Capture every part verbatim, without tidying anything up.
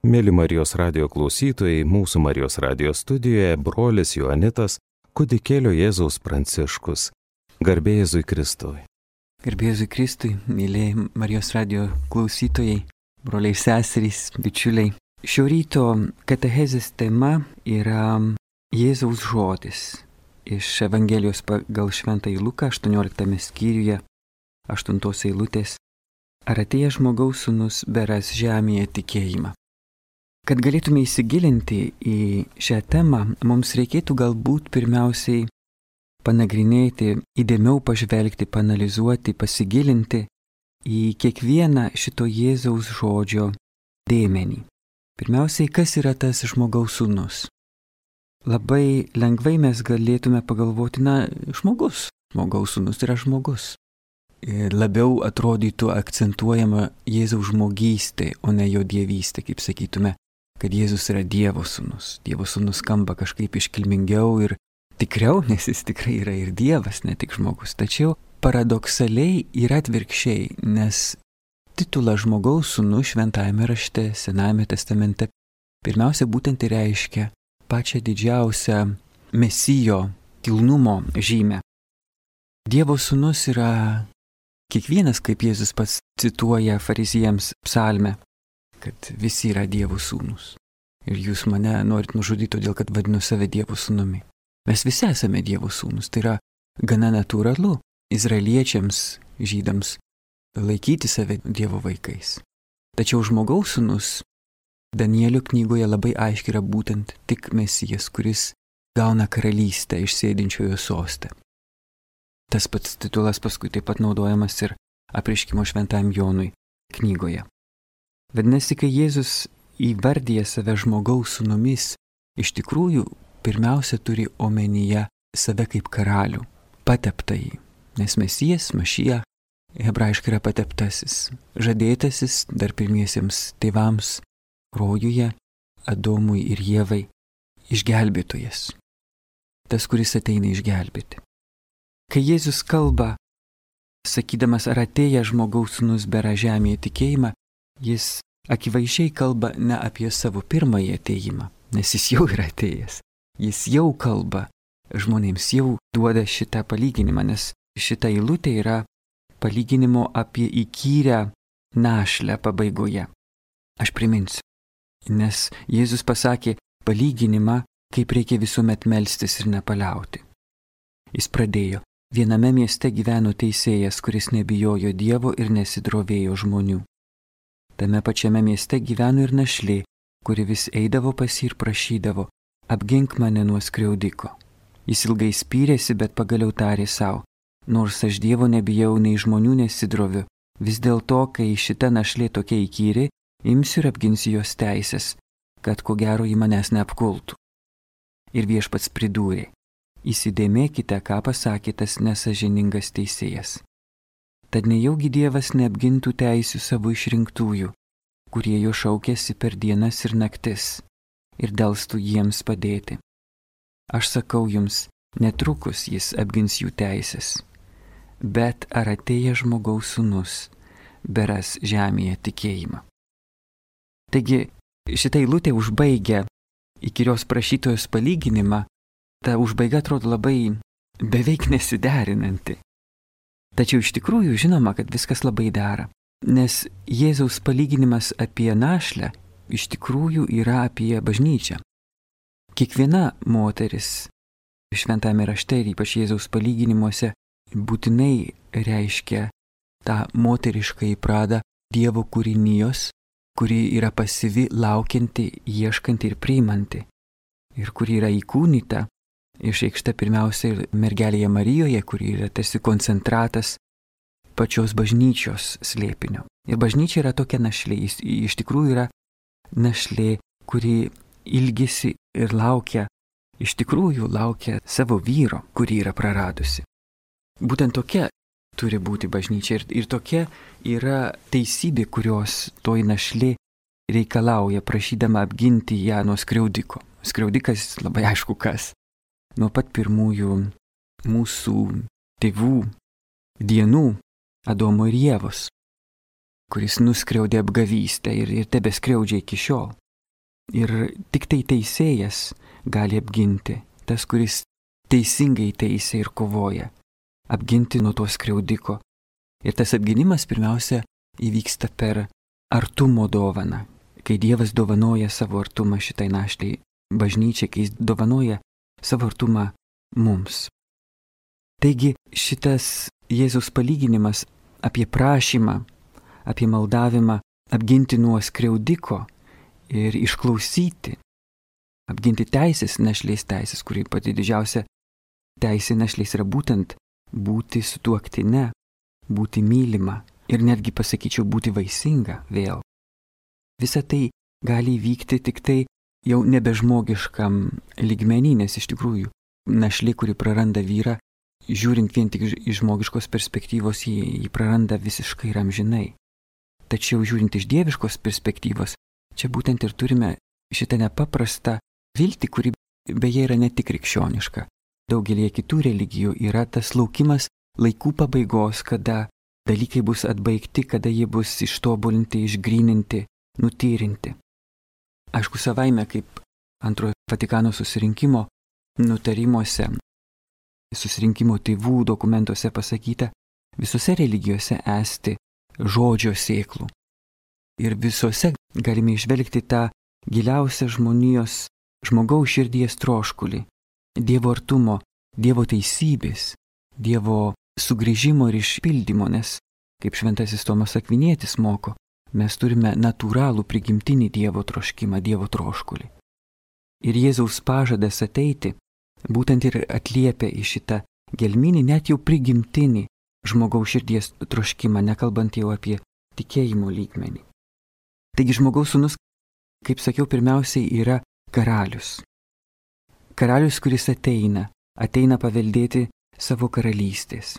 Mėly Marijos radijo klausytojai, mūsų Marijos radijo studijoje brolis Joanitas, kūdikėlio Jėzaus Pranciškus. Garbė Jėzui Kristui. Garbė Jėzui Kristui, mėlyje Marijos radijo klausytojai, broliai seserys, bičiuliai. Šio ryto katechezės tema yra Jėzaus žodis iš Evangelijos pagal Šventąjį Luką aštuonioliktame skyriuje, aštuntos eilutės. Ar atėjęs žmogaus sūnus beras žemėje tikėjimą? Kad galėtume įsigilinti į šią temą, mums reikėtų galbūt pirmiausiai panagrinėti, įdėmiau pažvelgti, panalizuoti, pasigilinti į kiekvieną šito Jėzaus žodžio dėmenį. Pirmiausiai, kas yra tas žmogaus sūnus? Labai lengvai mes galėtume pagalvoti, na, žmogus, žmogaus sūnus yra žmogus. Ir labiau atrodytų akcentuojama Jėzaus žmogystė, o ne jo dievystė, kaip sakytume, kad Jėzus yra Dievo sūnus. Dievo sūnus skamba kažkaip iškilmingiau ir tikriau, nes jis tikrai yra ir Dievas, ne tik žmogus. Tačiau paradoksaliai yra atvirkščiai, nes titulas žmogaus sūnus šventajame rašte, Senajame testamente, pirmiausia būtent ir reiškia pačią didžiausią Mesijo kilnumo žymę. Dievo sūnus yra kiekvienas, kaip Jėzus pats cituoja farizijams psalmę, kad visi yra Dievo sūnus. Ir jūs mane norit nužudyti, todėl kad vadinu save Dievo sūnumi. Mes visi esame Dievo sūnus. Tai yra gana natūralu izraeliečiams, žydams laikyti save Dievo vaikais. Tačiau žmogaus sūnus Danielio knygoje labai aiškiai yra būtent tik Mesijas, kuris gauna karalystę iš sėdinčiojo soste. Tas pats titulas paskui taip pat naudojamas ir Apreiškimo šventajam Jonui knygoje. Vadinasi, kai Jėzus įvardyja save žmogaus sūnumis, iš tikrųjų pirmiausia turi omenyje save kaip karalių, pateptąjį, nes Mesijas, Mašija, hebrajiškai yra pateptasis, žadėtasis dar pirmiesiems tėvams rojuje, Adomui ir Ievai, išgelbėtojas, tas, kuris ateina išgelbėti. Kai Jėzus kalba, sakydamas, ar atėjęs žmogaus sūnus bera žemėje tikėjimą, jis akivaizdžiai kalba ne apie savo pirmąjį atėjimą, nes jis jau yra atėjęs. Jis jau kalba žmonėms, jau duoda šitą palyginimą, nes šita eilutė yra palyginimo apie įkyrę našlę pabaigoje. Aš priminsiu, nes Jėzus pasakė palyginimą, kaip reikia visuomet melstis ir nepaliauti. Jis pradėjo, viename mieste gyveno teisėjas, kuris nebijojo Dievo ir nesidrovėjo žmonių. Tame pačiame mieste gyveno ir našlė, kuri vis eidavo pas jį ir prašydavo, apgink mane nuo skriaudiko. Jis ilgai spyrėsi, bet pagaliau tarė savo, nors aš Dievo nebijau, nei žmonių nesidroviu, vis dėlto, kai šita našlė tokia įkyri, imsiu ir apginsiu jos teisės, kad ko gero ji manęs neapkultų. Ir viešpats pridūrė, įsidėmėkite, ką pasakė tas nesąžiningas teisėjas. Tad nejaugi Dievas neapgintų teisių savo išrinktųjų, kurie jo šaukėsi per dienas ir naktis, ir delstų jiems padėti. Aš sakau jums, netrukus jis apgins jų teisės. Bet ar atėjęs žmogaus sūnus beras žemėje tikėjimą? Taigi, šitą eilutę užbaigia įkyrios prašytojos palyginimą, ta užbaiga atrodo labai beveik nesiderinanti. Tačiau iš tikrųjų žinoma, kad viskas labai dera, nes Jėzaus palyginimas apie našlę iš tikrųjų yra apie bažnyčią. Kiekviena moteris šventame rašte ir ypač Jėzaus palyginimuose būtinai reiškia tą moteriškąjį pradą Dievo kūrinijos, kuri yra pasyvi, laukianti, ieškanti ir priimanti, ir kuri yra įkūnyta, išreikšta pirmiausia ir mergelėje Marijoje, kuri yra tarsi koncentratas pačios bažnyčios slėpinio. Ir bažnyčia yra tokia našlė, jis iš tikrųjų yra našlė, kuri ilgisi ir laukia, iš tikrųjų laukia savo vyro, kurį yra praradusi. Būtent tokia turi būti bažnyčia ir, ir tokia yra teisybė, kurios toji našlė reikalauja, prašydama apginti ją nuo skriaudiko. Skriaudikas labai aišku kas. Nuo pat pirmųjų mūsų tėvų dienų Adomo ir Ievos, kuris nuskriaudė apgavystę ir, ir tebeskriaudžia iki šiol. Ir tik tai teisėjas gali apginti, tas, kuris teisingai teisė ir kovoja, apginti nuo to skriaudiko. Ir tas apginimas pirmiausia įvyksta per artumo dovaną, kai Dievas dovanoja savo artumą šitai našliai bažnyčiai, kai jis dovanoja savo artumą mums. Taigi šitas Jėzaus palyginimas apie prašymą, apie maldavimą apginti nuo skriaudiko ir išklausyti, apginti teisės, našlės teisės, kuri pati didžiausia teisė našlės yra būtent būti sutuoktine, būti mylima ir netgi pasakyčiau būti vaisinga vėl. Visa tai gali įvykti tik tai jau nebežmogiškam lygmenį, nes iš tikrųjų našlė, kuri praranda vyrą, žiūrint vien tik iš žmogiškos perspektyvos, jį, jį praranda visiškai ir amžinai. Tačiau žiūrint iš dieviškos perspektyvos, čia būtent ir turime šitą nepaprastą viltį, kuri beje yra ne tik krikščioniška. Daugelį kitų religijų yra tas laukimas laikų pabaigos, kada dalykai bus atbaigti, kada jie bus ištobulinti, išgryninti, nutyrinti. Aišku, savaime, kaip antrojo Vatikano susirinkimo nutarimuose, susirinkimo tėvų dokumentuose pasakyta, visose religijose esti žodžio sėklų. Ir visose galime išvelgti tą giliausią žmonijos, žmogaus širdies troškulį, Dievo artumo, Dievo teisybės, Dievo sugrįžimo ir išpildymo, nes, kaip šventasis Tomas Akvinietis moko, mes turime natūralų prigimtinį Dievo troškimą, Dievo troškulį. Ir Jėzaus pažadas ateiti būtent ir atliepia į šitą gelminį, net jau prigimtinį žmogaus širdies troškimą, nekalbant jau apie tikėjimo lygmenį. Taigi žmogaus sūnus, kaip sakiau, pirmiausiai yra karalius. Karalius, kuris ateina, ateina paveldėti savo karalystės.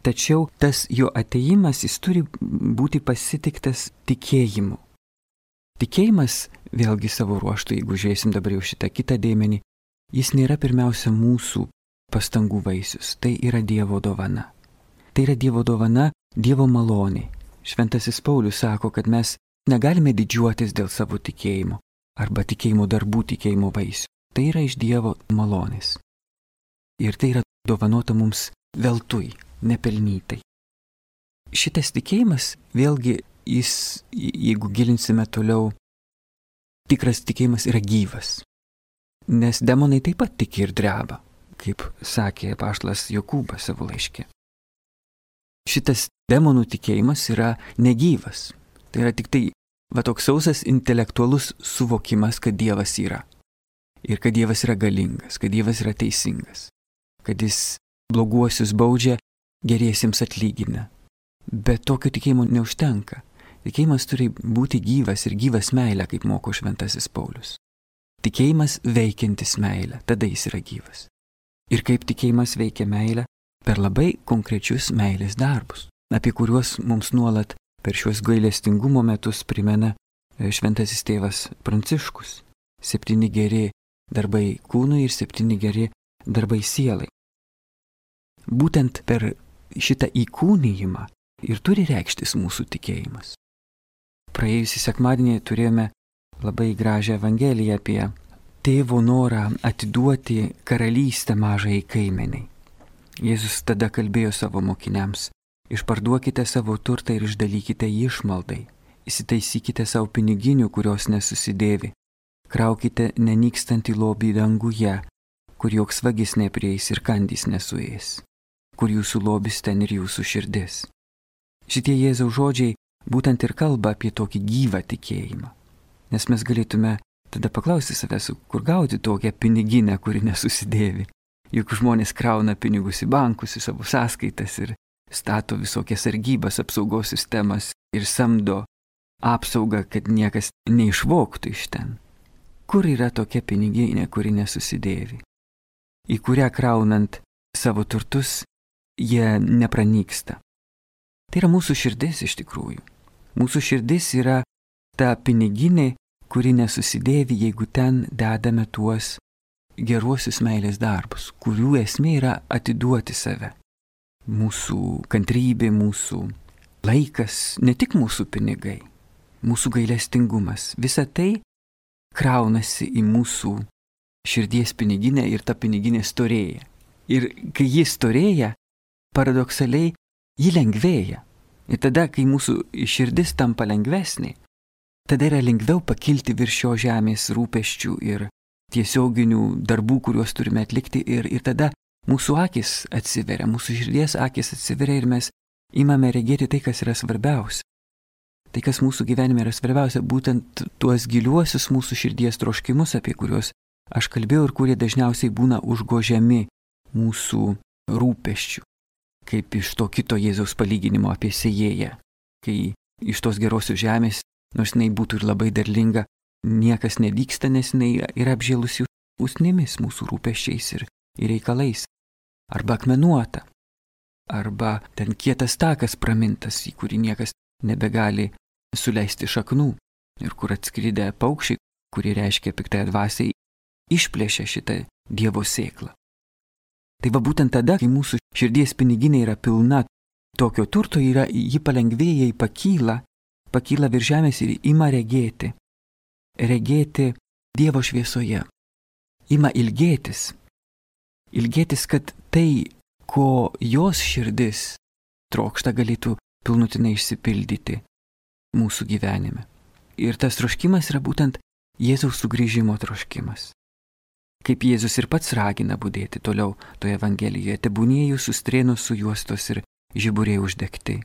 Tačiau tas jo ateimas, jis turi būti pasitiktas tikėjimu. Tikėjimas, vėlgi savo ruoštų, jeigu žiūrėsim dabar jau šitą kitą dėmenį, jis nėra pirmiausia mūsų pastangų vaisius, tai yra Dievo dovana. Tai yra Dievo dovana, Dievo malonė. Šventasis Paulius sako, kad mes negalime didžiuotis dėl savo tikėjimo arba tikėjimo darbų, tikėjimo vaisių. Tai yra iš Dievo malonės. Ir tai yra dovanota mums veltui, nepelnytai. Šitas tikėjimas, vėlgi, jis, jeigu gilinsime toliau, tikras tikėjimas yra gyvas. Nes demonai taip pat tiki ir dreba, kaip sakė apaštalas Jokūbas savo laiške. Šitas demonų tikėjimas yra negyvas. Tai yra tik tai va toks sausas intelektualus suvokimas, kad Dievas yra. Ir kad Dievas yra galingas, kad Dievas yra teisingas. Kad jis bloguosius baudžia, geriesiems atlygina. Bet tokio tikėjimo neužtenka. Tikėjimas turi būti gyvas ir gyvas meilė, kaip moko šventasis Paulius. Tikėjimas veikiantis meilę, tada jis yra gyvas. Ir kaip tikėjimas veikia meilę? Per labai konkrečius meilės darbus, apie kuriuos mums nuolat per šiuos gailestingumo metus primena šventasis tėvas Pranciškus. Septyni geri darbai kūnui ir septyni geri darbai sielai. Būtent per šitą įkūnijimą ir turi reikštis mūsų tikėjimas. Praėjusį sekmadienį turėjome labai gražią evangeliją apie tėvo norą atiduoti karalystę mažai kaimeniai. Jėzus tada kalbėjo savo mokiniams: išparduokite savo turtą ir išdalykite jį išmaldai, įsitaisykite savo piniginių, kurios nesusidėvi, kraukite nenykstantį lobį danguje, kur joks vagis neprieis ir kandys nesuės, kur jūsų lobis ten ir jūsų širdis. Šitie Jėzaus žodžiai būtent ir kalba apie tokį gyvą tikėjimą. Nes mes galėtume tada paklausti savęs, kur gauti tokią piniginę, kuri nesusidėvi. Juk žmonės krauna pinigus į bankus, į savo sąskaitas ir stato visokias sargybas, apsaugos sistemas ir samdo apsaugą, kad niekas neišvogtų iš ten. Kur yra tokia piniginė, kuri nesusidėvi? Į kurią kraunant savo turtus, jie nepranyksta. Tai yra mūsų širdis iš tikrųjų. Mūsų širdis yra ta piniginė, kuri nesusidėvi, jeigu ten dedame tuos geruosius meilės darbus, kurių esmė yra atiduoti save. Mūsų kantrybė, mūsų laikas, ne tik mūsų pinigai, mūsų gailestingumas. Visa tai kraunasi į mūsų širdies piniginę ir ta piniginė storėja. Ir kai ji storėja, paradoksaliai, ji lengvėja. Ir tada, kai mūsų širdis tampa lengvesnė, tada yra lengviau pakilti virš šio žemės rūpesčių ir tiesioginių darbų, kuriuos turime atlikti. Ir, ir tada mūsų akis atsiveria, mūsų širdies akis atsiveria ir mes imame regėti tai, kas yra svarbiausia. Tai, kas mūsų gyvenime yra svarbiausia, būtent tuos giliuosius mūsų širdies troškimus, apie kuriuos aš kalbėjau ir kurie dažniausiai būna užgožiami mūsų rūpesčių. Kaip iš to kito Jėzaus palyginimo apie sėjėją, kai iš tos gerosios žemės, nors jinai būtų ir labai derlinga, niekas nevyksta, nes jinai yra apžėlusi usnimis mūsų rūpesčiais ir, ir reikalais. Arba akmenuota, arba ten kietas takas pramintas, į kurį niekas nebegali suleisti šaknų ir kur atskridę paukščiai, kurie reiškia piktąją dvasią, išplėšia šitą Dievo sėklą. Tai va būtent tada, kai mūsų širdies piniginė yra pilna tokio turto, yra, ji palengvėja, ji pakyla, pakyla virš žemės ir ima regėti, regėti Dievo šviesoje, ima ilgėtis, ilgėtis, kad tai, ko jos širdis trokšta, galėtų pilnutinai išsipildyti mūsų gyvenime. Ir tas troškimas yra būtent Jėzaus sugrįžimo troškimas. Kaip Jėzus ir pats ragina budėti toliau toje Evangelijoje, tebūnie jūsų strėnos sujuostos ir žiburiai uždegti.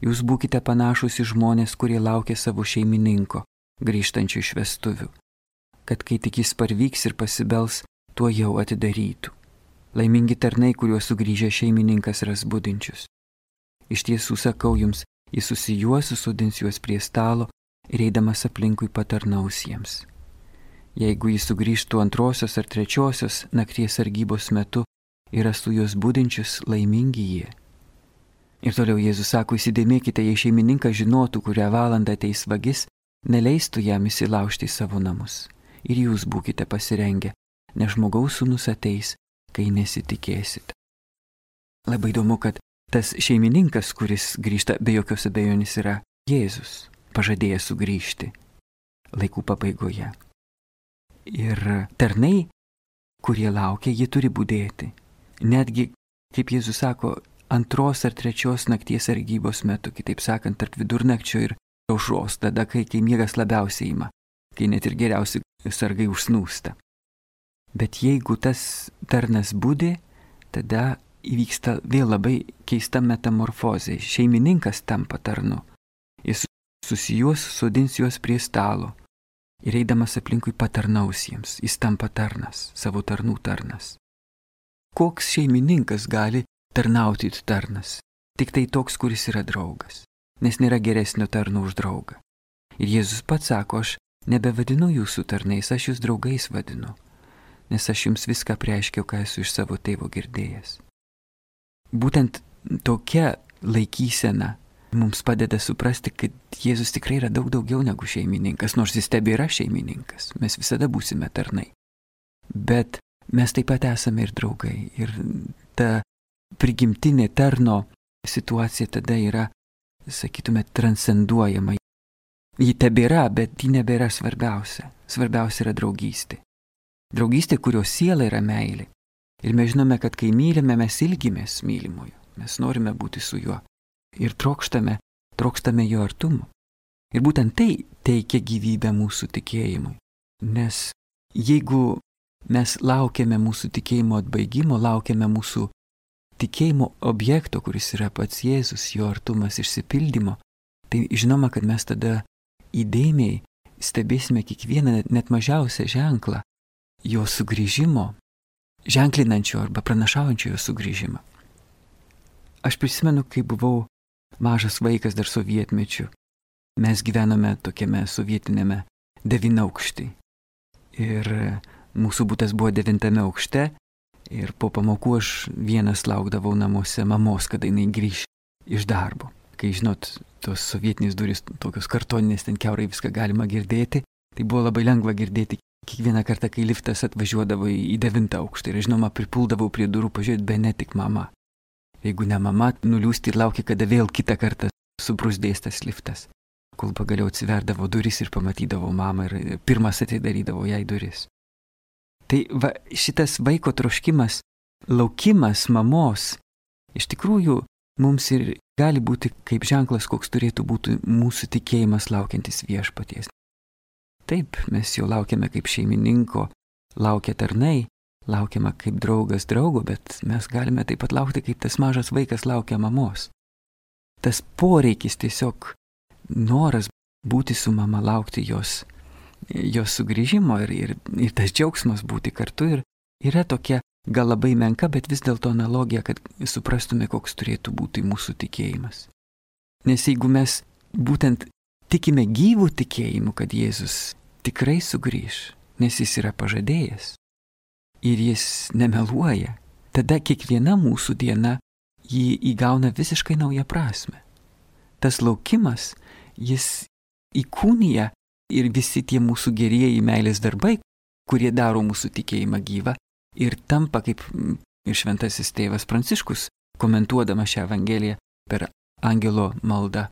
Jūs būkite panašus į žmonės, kurie laukia savo šeimininko, grįžtančių iš vestuvių, kad kai tik jis parvyks ir pasibels, tuo jau atidarytų. Laimingi tarnai, kuriuos sugrįžę šeimininkas ras budinčius. Iš tiesų sakau jums, jis susijuos, susodins juos prie stalo ir eidamas aplinkui patarnaus jiems. Jeigu jis sugrįžtų antrosios ar trečiosios nakties sargybos metu ir rastų juos budinčius, laimingi jie. Ir toliau Jėzus sako, įsidėmėkite, jei šeimininkas žinotų, kurią valandą ateis vagis, neleistų jam įsilaužti į savo namus. Ir jūs būkite pasirengę, nes žmogaus sūnus ateis, kai nesitikėsite. Labai įdomu, kad tas šeimininkas, kuris grįžta, be jokios abejonės yra Jėzus, pažadėjęs sugrįžti laikų pabaigoje. Ir tarnai, kurie laukia, jie turi budėti. Netgi, kaip Jėzus sako, antros ar trečios nakties sargybos metu, kitaip sakant, tarp vidurnakčio ir aušros, tada, kai, kai miegas labiausiai ima, kai net ir geriausi sargai užsnūsta. Bet jeigu tas tarnas budi, tada įvyksta vėl labai keista metamorfozė. Šeimininkas tampa tarnu. Jis susijuos, sodins juos prie stalo ir eidamas aplinkui patarnaus jiems. Jis tampa tarnas, savo tarnų tarnas. Koks šeimininkas gali tarnauti tarnas? Tik tai toks, kuris yra draugas, nes nėra geresnio tarno už draugą. Ir Jėzus pats sako, aš nebevadinu jūsų tarnais, aš jūs draugais vadinu, nes aš jums viską priaiškiau, ką esu iš savo tėvo girdėjęs. Būtent tokia laikysena mums padeda suprasti, kad Jėzus tikrai yra daug daugiau negu šeimininkas, nors jis tebėra šeimininkas, mes visada būsime tarnai. Bet mes taip pat esame ir draugai. Ir ta prigimtinė tarno situacija tada yra, sakytume, transcenduojama. Ji tebėra, bet ji nebėra svarbiausia. Svarbiausia yra draugystė. Draugystė, kurios siela yra meilė. Ir mes žinome, kad kai mylime, mes ilgimės mylimojo. Mes norime būti su juo. Ir trokštame, trokštame jo artumo. Ir būtent tai teikia gyvybę mūsų tikėjimui. Nes jeigu mes laukiame mūsų tikėjimo atbaigimo, laukiame mūsų tikėjimo objekto, kuris yra pats Jėzus, jo artumas išsipildymo, tai žinoma, kad mes tada įdėmiai stebėsime kiekvieną net mažiausią ženklą jo sugrįžimo, ženklinančio arba pranašaujančio jo sugrįžimą. Aš prisimenu, kai buvau mažas vaikas dar sovietmečiu. Mes gyvenome tokiame sovietinėme devynaukštį. Ir mūsų butas buvo devintame aukšte. Ir po pamokų aš vienas laukdavau namuose mamos, kada jinai grįš iš darbo. Kai, žinot, tos sovietinės durys, tokios kartoninės, ten kiaurai viską galima girdėti. Tai buvo labai lengva girdėti kiekvieną kartą, kai liftas atvažiuodavo į devintą aukštą. Ir, žinoma, pripuldavau prie durų pažiūrėti, be ne tik mama. Jeigu ne mama, nuliūsti ir laukia, kada vėl kitą kartą subrusdės tas liftas. kol pagaliau atsiverdavo duris ir pamatydavo mamą ir pirmas atidarydavo jai duris. Tai va, šitas vaiko troškimas, laukimas mamos, iš tikrųjų mums ir gali būti kaip ženklas, koks turėtų būti mūsų tikėjimas laukiantis viešpaties. Taip, mes jo laukiame kaip šeimininko, laukia tarnai, laukiame kaip draugas draugo, bet mes galime taip pat laukti, kaip tas mažas vaikas laukia mamos. Tas poreikis, tiesiog noras būti su mama, laukti jos, jos sugrįžimo ir, ir, ir tas džiaugsmas būti kartu ir yra tokia gal labai menka, bet vis dėlto analogija, kad suprastume, koks turėtų būti mūsų tikėjimas. Nes jeigu mes būtent tikime gyvų tikėjimu, kad Jėzus tikrai sugrįž, nes jis yra pažadėjęs ir jis nemeluoja, tada kiekviena mūsų diena jį įgauna visiškai naują prasme. Tas laukimas, jis įkūnija ir visi tie mūsų gerieji meilės darbai, kurie daro mūsų tikėjimą gyvą ir tampa, kaip ir šventasis tėvas Pranciškus, komentuodama šią Evangeliją per angelo maldą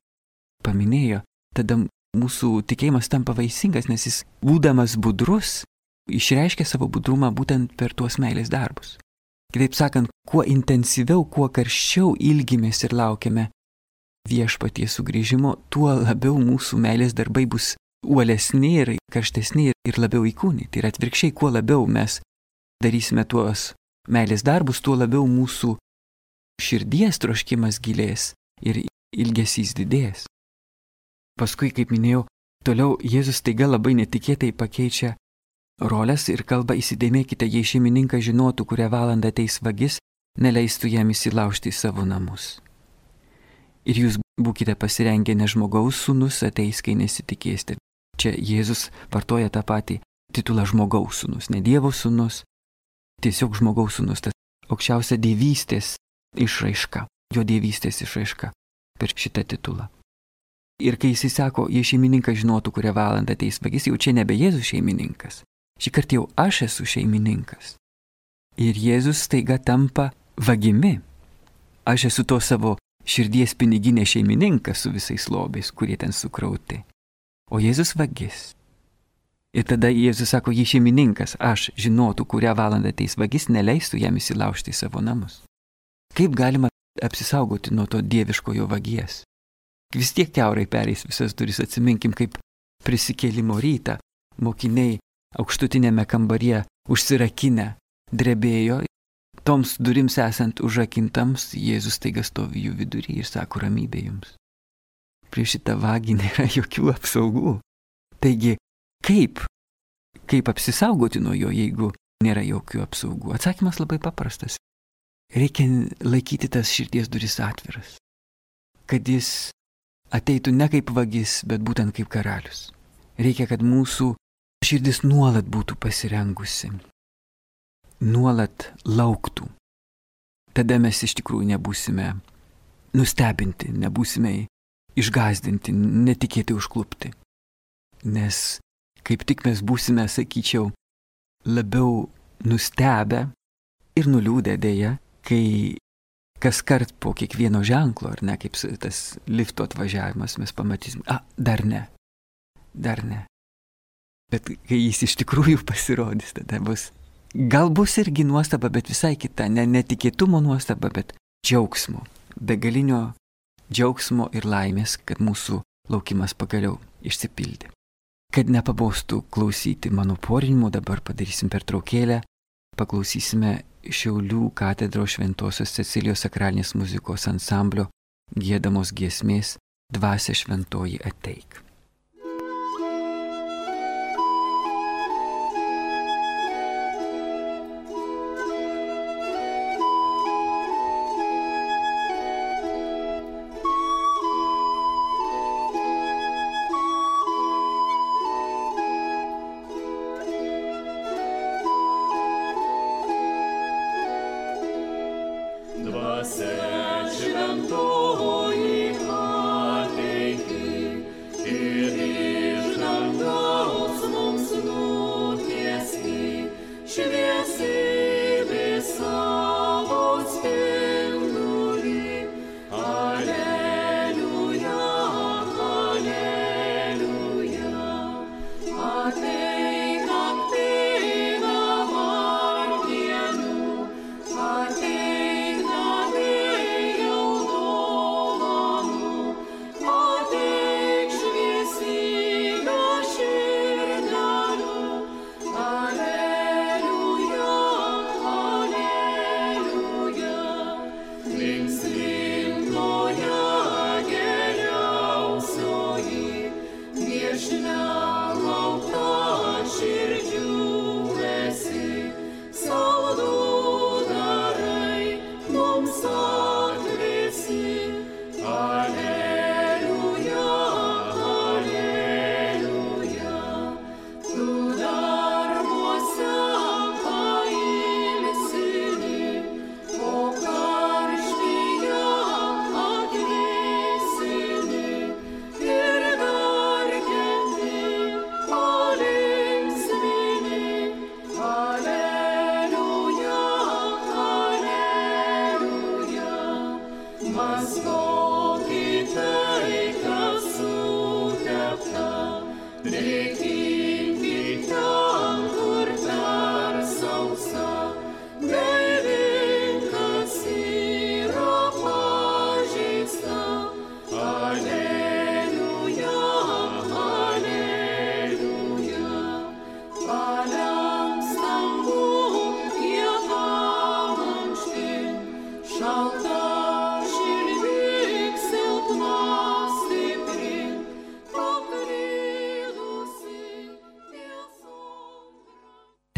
paminėjo, tada mūsų tikėjimas tampa vaisingas, nes jis, būdamas budrus, išreiškia savo budrumą būtent per tuos meilės darbus. Kitaip sakant, kuo intensyviau, kuo karščiau ilgimės ir laukiame viešpaties sugrįžimo, tuo labiau mūsų meilės darbai bus uolesni ir karštesni ir labiau įkūnyti. Ir atvirkščiai, kuo labiau mes darysime tuos meilės darbus, tuo labiau mūsų širdies troškimas gilės ir ilgesys didės. Paskui, kaip minėjau, toliau Jėzus taiga labai netikėtai pakeičia rolės ir kalba: įsidėmėkite, jei šeimininkas žinotų, kurią valandą ateis vagis, neleistų jam įsilaužti į savo namus. Ir jūs būkite pasirengę, nes žmogaus sūnus ateis, kai nesitikėsite. Čia Jėzus vartoja tą patį titulą žmogaus sūnus, ne Dievo sūnus, tiesiog žmogaus sūnus, tas aukščiausia dievystės išraiška, jo dievystės išraiška per šitą titulą. Ir kai jis sako, jei šeimininkas žinotų, kurią valandą ateis vagis, jau čia nebe Jėzus šeimininkas. Šį kartą jau aš esu šeimininkas. Ir Jėzus staiga tampa vagimi. Aš esu to savo širdies piniginė šeimininkas su visais lobiais, kurie ten sukrauti. O Jėzus vagis. Ir tada Jėzus sako, jei šeimininkas, aš žinotų, kurią valandą ateis vagis, neleistų jam įsilaužti į savo namus. Kaip galima apsisaugoti nuo to dieviškojo vagies? Vis tiek kiaurai pereis visas duris, atsiminkim, kaip prisikėlimo rytą mokiniai aukštutinėme kambaryje užsirakinę drebėjo, toms durims esant užrakintams, Jėzus staiga stovi jų vidury ir sako, ramybė jums. Prieš šitą vagį nėra jokių apsaugų. Taigi, kaip, kaip apsisaugoti nuo jo, jeigu nėra jokių apsaugų? Atsakymas labai paprastas. Reikia laikyti tas širdies duris atviras, kad jis ateitų ne kaip vagis, bet būtent kaip karalius. Reikia, kad mūsų širdis nuolat būtų pasirengusi, nuolat lauktų. Tada mes iš tikrųjų nebūsime nustebinti, nebūsime išgąsdinti, netikėtai užklupti. Nes kaip tik mes būsime, sakyčiau, labiau nustebę ir nuliūdę dėja, kai kas kart po kiekvieno ženklo, ar ne, kaip tas lifto atvažiavimas, mes pamatysim, a, dar ne, dar ne. Bet kai jis iš tikrųjų pasirodys, tada bus, gal bus irgi nuostaba, bet visai kita, ne netikėtumo nuostaba, bet džiaugsmo, begalinio džiaugsmo ir laimės, kad mūsų laukimas pagaliau išsipildė. Kad nepabostų klausyti mano porinimo, dabar padarysim pertraukėlę, paklausysime Šiaulių katedros Šventosios Cecilijos sakralinės muzikos ansamblio giedamos giesmės Dvasia šventoji ateik. Dvasia šventoji ateik,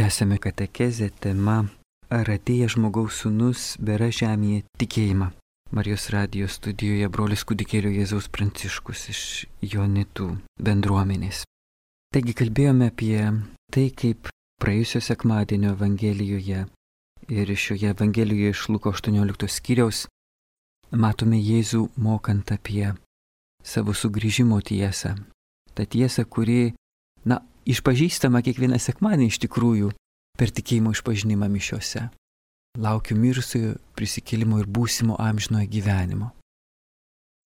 Tęsiame katechezę tema Ar atėjęs žmogaus sūnus bėra žemėje tikėjimą. Marijos radijo studijoje brolis kūdikėlio Jėzaus Pranciškus iš Joanitų bendruomenės. Taigi kalbėjome apie tai, kaip praėjusio sekmadienio Evangelijoje ir šioje Evangelijoje iš Luko aštuoniolikto skyriaus matome Jėzų mokant apie savo sugrįžimo tiesą. Ta tiesa, kuri, na, išpažįstama kiekvieną sekmadienį iš tikrųjų per tikėjimo išpažinimą mišiose. Laukiu mirusiojo prisikėlimo ir būsimo amžinojo gyvenimo.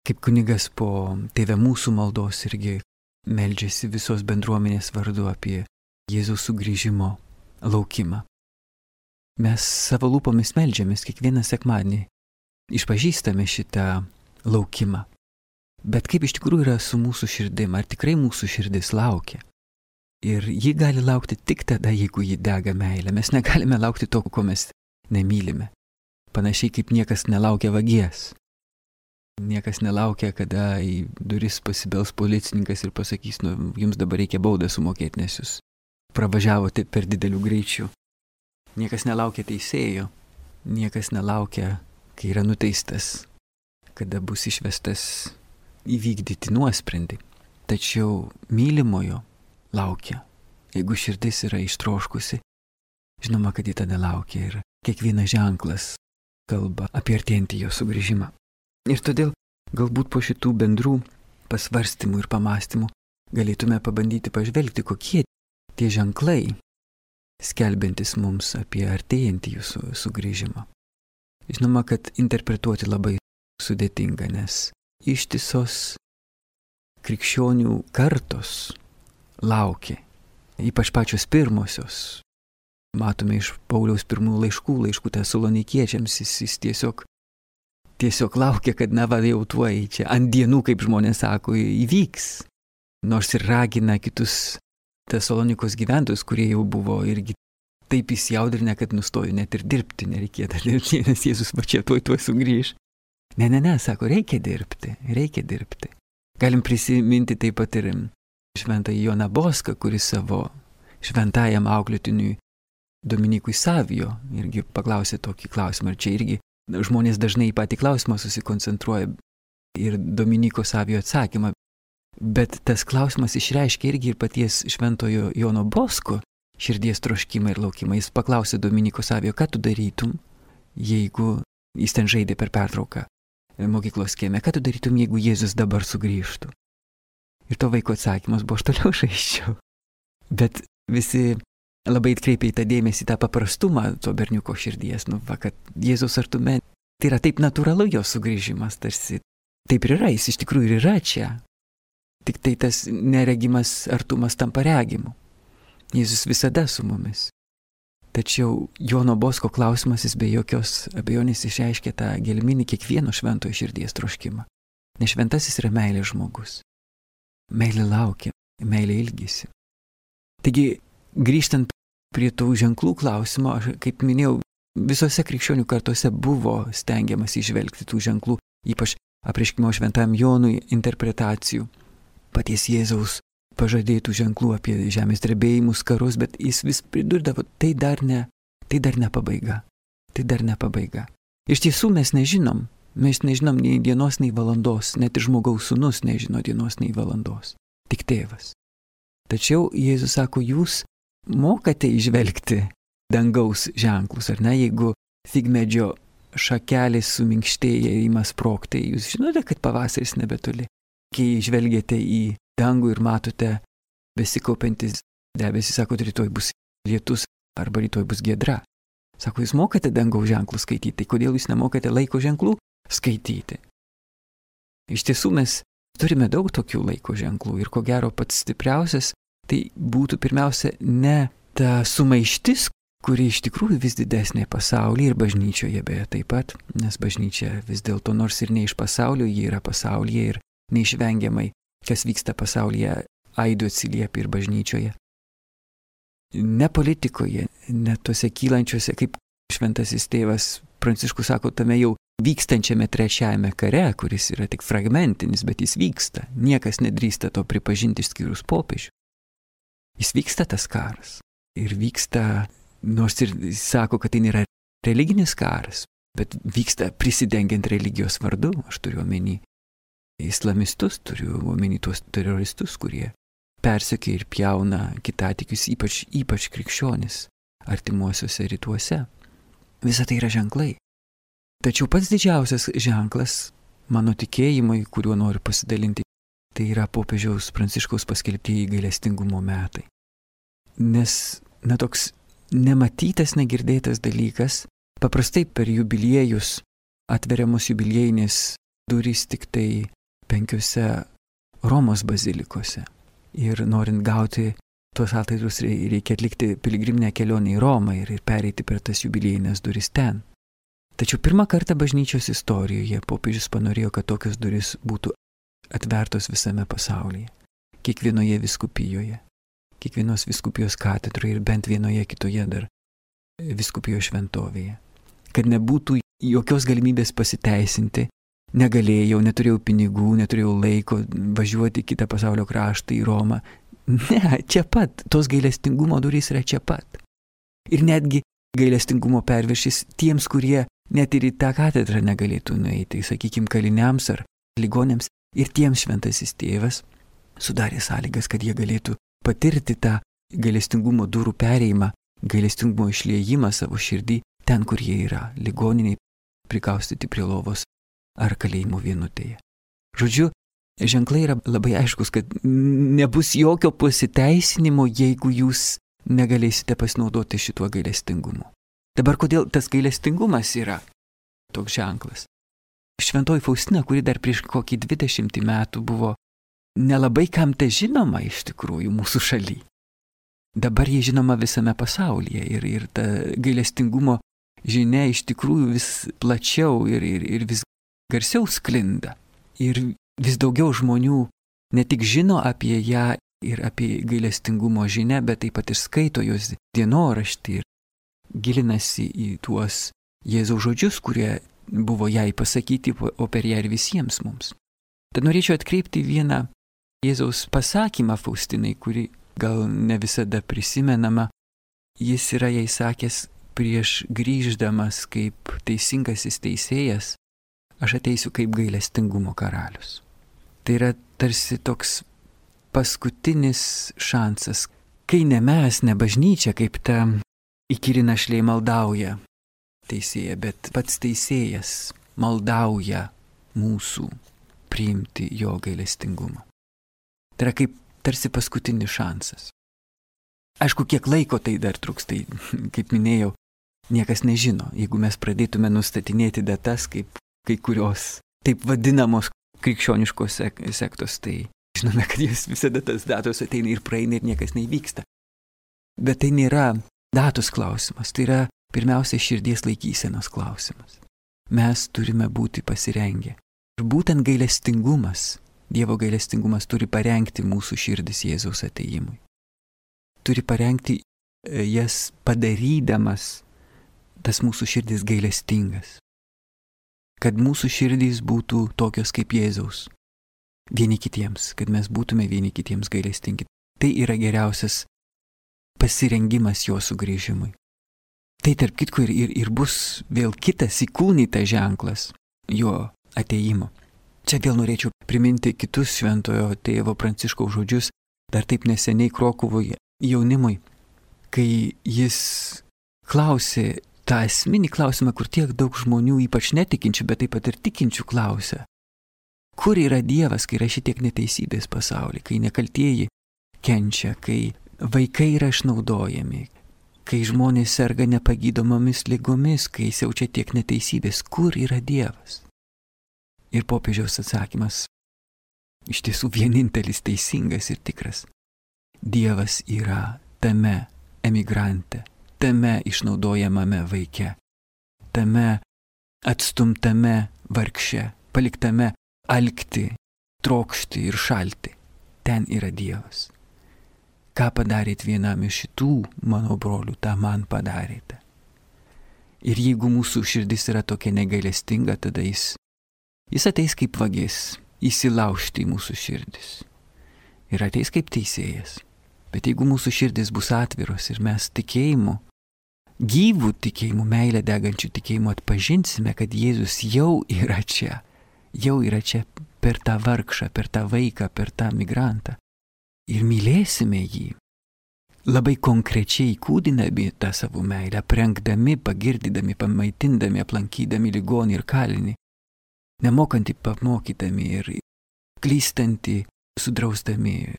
Kaip kunigas po Tėve mūsų maldos irgi meldžiasi visos bendruomenės vardu apie Jėzaus sugrįžimo laukimą. Mes savo lūpomis meldžiamės kiekvieną sekmadienį, išpažįstame šitą laukimą. Bet kaip iš tikrųjų yra su mūsų širdim, ar tikrai mūsų širdis laukia? Ir ji gali laukti tik tada, jeigu ji dega meilę. Mes negalime laukti to, ko mes nemylime. Panašiai kaip niekas nelaukia vagies. Niekas nelaukia, kada į duris pasibels policininkas ir pasakys, nu, jums dabar reikia baudą sumokėti, nes jūs pravažiavote per didelių greičių. Niekas nelaukia teisėjo. Niekas nelaukia, kai yra nuteistas, kada bus išvestas įvykdyti nuosprendį. Tačiau mylimojo laukia. Jeigu širdis yra ištroškusi, žinoma, kad ji tada laukia ir kiekvienas ženklas kalba apie artėjantį jo sugrįžimą. Ir todėl galbūt po šitų bendrų pasvarstymų ir pamastymų galėtume pabandyti pažvelgti, kokie tie ženklai, skelbiantis mums apie artėjantį jūsų sugrįžimą. Žinoma, kad interpretuoti labai sudėtinga, nes ištisos krikščionių kartos laukia, ypač pačios pirmosios. Matome iš Pauliaus pirmų laiškų, laiškų Tesalonikiečiams, jis, jis tiesiog, tiesiog laukia, kad na va jau tuoj čia ant dienų, kaip žmonės sako, įvyks. Nors ir ragina kitus Tesalonikos gyventojus, kurie jau buvo irgi taip įsijaudrinę, kad nustojo net ir dirbti, nereikėtų dirbti, nes Jėzus va čia tuoj tuoj sugrįž. Ne, ne, ne, sako, reikia dirbti, reikia dirbti. Galim prisiminti taip pat ir šventąjį Joną Boską, kuris savo šventajam auklėtiniui Dominykui Savijo irgi paklausė tokį klausimą. Ir čia irgi žmonės dažnai į patį klausimą susikoncentruoja ir Dominyko Savijo atsakymą. Bet tas klausimas išreiškia irgi ir paties šventojo Jono Bosko širdies troškimą ir laukimą. Jis paklausė Dominiko Savijo, ką tu darytum, jeigu jis ten žaidė per pertrauką mokyklos kieme, ką tu darytum, jeigu Jėzus dabar sugrįžtų. Ir to vaiko atsakymas buvo, aš toliau žaisčiau. Bet visi labai atkreipė į tą dėmesį, tą paprastumą to berniuko širdies, nu, va, kad Jėzus artume, tai yra taip natūralu jo sugrįžimas, tarsi taip ir yra, jis iš tikrųjų ir yra čia. Tik tai tas neregimas artumas tampa regimu. Jėzus visada su mumis. Tačiau Jono Bosko klausimas, jis be jokios abejonės išreiškia tą gelminį kiekvieno šventojo širdies troškimą. Nes šventasis yra meilės žmogus. Meilė laukia, meilė ilgisi. Taigi, grįžtant prie tų ženklų klausimo, aš, kaip minėjau, visose krikščionių kartose buvo stengiamas įžvelgti tų ženklų, ypač apreiškimo šventajam Jonui interpretacijų, paties Jėzaus pažadėtų ženklų apie žemės drebėjimus, karus, bet jis vis pridurdavo, tai dar ne, tai dar ne pabaiga, tai dar ne pabaiga. Iš tiesų mes nežinom, mes nežinom nei dienos, nei valandos, net ir žmogaus sūnus nežino dienos, nei valandos, tik tėvas. Tačiau Jėzus sako, jūs mokate įžvelgti dangaus ženklus, ar ne, jeigu figmedžio šakelės suminkštėja ir ima sprogti, jūs žinote, kad pavasaris nebetoli. Kai žvelgiate į dangų ir matote besikaupiantis debesys, sako, rytoj bus lietus arba rytoj bus giedra. Sako, jūs mokate dangaus ženklų skaityti, tai kodėl jūs nemokate laiko ženklų skaityti? Iš tiesų mes turime daug tokių laiko ženklų ir ko gero pats stipriausias tai būtų pirmiausia ne ta sumaištis, kuri iš tikrųjų vis didesnė pasaulyje ir bažnyčioje beje taip pat, nes bažnyčia vis dėlto nors ir ne iš pasaulio, ji yra pasaulyje ir neišvengiamai, kas vyksta pasaulyje, aidu atsiliepia ir bažnyčioje. Ne politikoje, ne tuose kylančiuose, kaip šventasis tėvas Pranciškus sako, tame jau vykstančiame trečiajame kare, kuris yra tik fragmentinis, bet jis vyksta. Niekas nedrįsta to pripažinti išskyrus popiežių. Jis vyksta tas karas. Ir vyksta, nors ir sako, kad tai nėra religinis karas, bet vyksta prisidengiant religijos vardu, aš turiu omeny islamistus, turiu omeny tuos teroristus, kurie persekia ir pjauna kitatikius, ypač, ypač krikščionis artimuosiuose rytuose. Visa tai yra ženklai. Tačiau pats didžiausias ženklas mano tikėjimui, kuriuo noriu pasidalinti, tai yra popiežiaus Pranciškaus paskelbtieji gailestingumo metai. Nes, na, toks nematytas, negirdėtas dalykas, paprastai per jubiliejus atveriamos jubiliejinės durys tik tai penkiose Romos bazilikose. Ir norint gauti tuos atlaidus reikia atlikti piligriminę kelionę į Romą ir, ir pereiti per tas jubiliejinės duris ten. Tačiau pirmą kartą bažnyčios istorijoje popiežius panorėjo, kad tokios duris būtų atvertos visame pasaulyje, kiekvienoje vyskupijoje, kiekvienos vyskupijos katedroje ir bent vienoje kitoje dar vyskupijos šventovėje. Kad nebūtų jokios galimybės pasiteisinti, negalėjau, neturėjau pinigų, neturėjau laiko važiuoti į kitą pasaulio kraštą, į Romą. Ne, čia pat, tos gailestingumo durys yra čia pat. Ir netgi gailestingumo perviršis tiems, kurie net ir į tą katedrą negalėtų nueiti, sakykime, kaliniams ar ligonėms, ir tiems šventasis tėvas sudarė sąlygas, kad jie galėtų patirti tą gailestingumo durų perėjimą, gailestingumo išliejimą savo širdį ten, kur jie yra, ligoniniai, prikaustyti prie lovos ar kalėjimo vienutėje. Žodžiu, ženklai yra labai aiškus, kad nebus jokio pasiteisinimo, jeigu jūs negalėsite pasinaudoti šituo gailestingumu. Dabar kodėl tas gailestingumas yra toks ženklas? Šventoji Faustina, kuri dar prieš kokį dvidešimtį metų buvo nelabai kam te žinoma iš tikrųjų mūsų šaly. Dabar jie žinoma visame pasaulyje ir, ir ta gailestingumo žinia iš tikrųjų vis plačiau ir, ir, ir vis garsiau sklinda. Ir vis daugiau žmonių ne tik žino apie ją ir apie gailestingumo žinią, bet taip pat ir skaito jos dienoraštį ir gilinasi į tuos Jėzaus žodžius, kurie buvo jai pasakyti, o per ją ir visiems mums. Tad norėčiau atkreipti vieną Jėzaus pasakymą Faustinai, kuri gal ne visada prisimenama. Jis yra jai sakęs prieš grįždamas kaip teisingasis teisėjas, aš ateisiu kaip gailestingumo karalius. Tai yra tarsi toks paskutinis šansas, kai ne mes, ne bažnyčia, kaip ta įkyri našlė maldauja teisėja, bet pats teisėjas maldauja mūsų priimti jo gailestingumą. Tai yra kaip tarsi paskutinis šansas. Aišku, kiek laiko tai dar truks, tai, kaip minėjau, niekas nežino. Jeigu mes pradėtume nustatinėti datas, kaip kai kurios taip vadinamos krikščioniškos sektos, tai žinome, kad jos visada tas datos ateina ir praeina ir niekas neįvyksta. Bet tai nėra datos klausimas, tai yra pirmiausia širdies laikysenos klausimas. Mes turime būti pasirengę. Ir būtent gailestingumas, Dievo gailestingumas turi parengti mūsų širdis Jėzaus atėjimui. Turi parengti jas padarydamas tas mūsų širdis gailestingas. Kad mūsų širdys būtų tokios kaip Jėzaus. Vieni kitiems, kad mes būtume vieni kitiems gailestingi. Tai yra geriausias pasirengimas jo sugrįžimui. Tai tarp kitko ir, ir, ir bus vėl kitas įkūnytas ženklas jo atėjimo. Čia vėl norėčiau priminti kitus šventojo tėvo Pranciškaus žodžius, dar taip neseniai Krokuvoje jaunimui, kai jis klausė tą esminį klausimą, kur tiek daug žmonių, ypač netikinčių, bet taip pat ir tikinčių klausia. Kur yra Dievas, kai yra šitiek neteisybės pasaulyje, kai nekaltieji kenčia, kai vaikai yra išnaudojami, kai žmonės serga nepagydomomis ligomis, kai siaučia tiek neteisybės, kur yra Dievas? Ir popiežiaus atsakymas iš tiesų vienintelis teisingas ir tikras. Dievas yra tame emigrante, tame išnaudojamame vaike, tame atstumtame vargše, paliktame alkti, trokšti ir šalti. Ten yra Dievas. Ką padarėt vienam iš šitų mano brolių, tą man padarėte. Ir jeigu mūsų širdis yra tokia negailestinga, tada jis, jis ateis kaip vagis, įsilaužti į mūsų širdis. Ir ateis kaip teisėjas. Bet jeigu mūsų širdis bus atviros ir mes tikėjimu, gyvų tikėjimų, meilę degančių tikėjimų atpažinsime, kad Jėzus jau yra čia, jau yra čia per tą vargšą, per tą vaiką, per tą migrantą. Ir mylėsime jį, labai konkrečiai kūdinami tą savo meilę, aprengdami, pagirdydami, pamaitindami, aplankydami ligonį ir kalinį, nemokantį pamokydami ir klystantį, sudrausdami,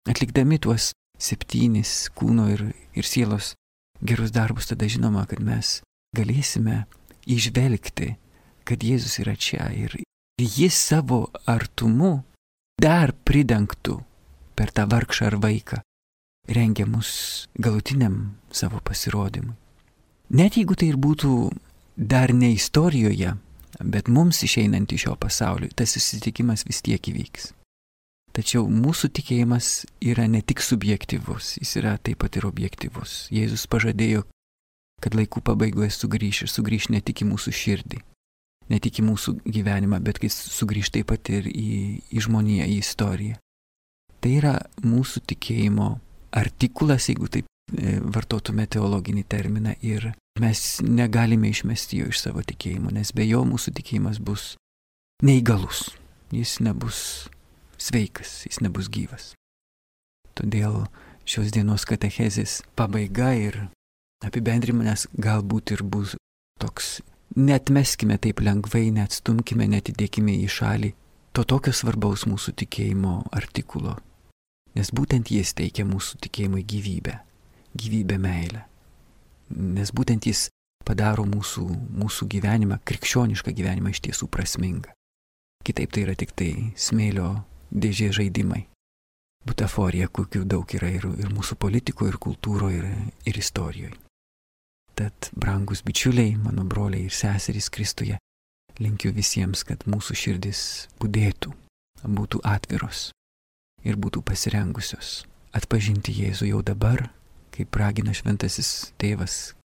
atlikdami tuos septynis kūno ir, ir sielos gerus darbus, tada žinoma, kad mes galėsime įžvelgti, kad Jėzus yra čia ir jis savo artumu dar pridengtų per tą vargšą ar vaiką, rengia mus galutiniam savo pasirodymui. Net jeigu tai ir būtų dar ne istorijoje, bet mums išeinant iš šio pasaulio, tas susitikimas vis tiek įvyks. Tačiau mūsų tikėjimas yra ne tik subjektyvus, jis yra taip pat ir objektyvus. Jėzus pažadėjo, kad laikų pabaigoje sugrįš ir sugrįš ne tik į mūsų širdį, ne tik į mūsų gyvenimą, bet jis sugrįš taip pat ir į, į žmoniją, į istoriją. Tai yra mūsų tikėjimo artikulas, jeigu taip vartotume teologinį terminą, ir mes negalime išmesti jo iš savo tikėjimo, nes be jo mūsų tikėjimas bus neįgalus, jis nebus sveikas, jis nebus gyvas. Todėl šios dienos katechezės pabaiga ir apibendrimas galbūt ir bus toks: neatmeskime taip lengvai, neatstumkime, netidėkime į šalį to tokio svarbaus mūsų tikėjimo artikulo, nes būtent jis teikia mūsų tikėjimui gyvybę, gyvybę meilę, nes būtent jis padaro mūsų, mūsų gyvenimą, krikščionišką gyvenimą iš tiesų prasmingą. Kitaip tai yra tik tai smėlio dėžė žaidimai, butaforija, kokių daug yra ir, ir mūsų politikoje, ir kultūroje, ir, ir istorijoje. Tad, brangus bičiuliai, mano broliai ir seserys Kristuje, linkiu visiems, kad mūsų širdis budėtų, būtų atviros ir būtų pasirengusios atpažinti Jėzų jau dabar, kaip ragina šventasis tėvas,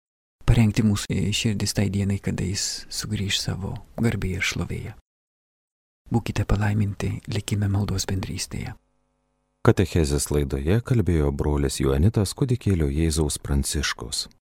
parengti mūsų širdis tai dienai, kada jis sugrįž savo garbėje ir šlovėje. Būkite palaiminti, likime maldos bendrystėje. Katechezės laidoje kalbėjo brolis Joanitas Kūdikėlio Jėzaus Pranciškus.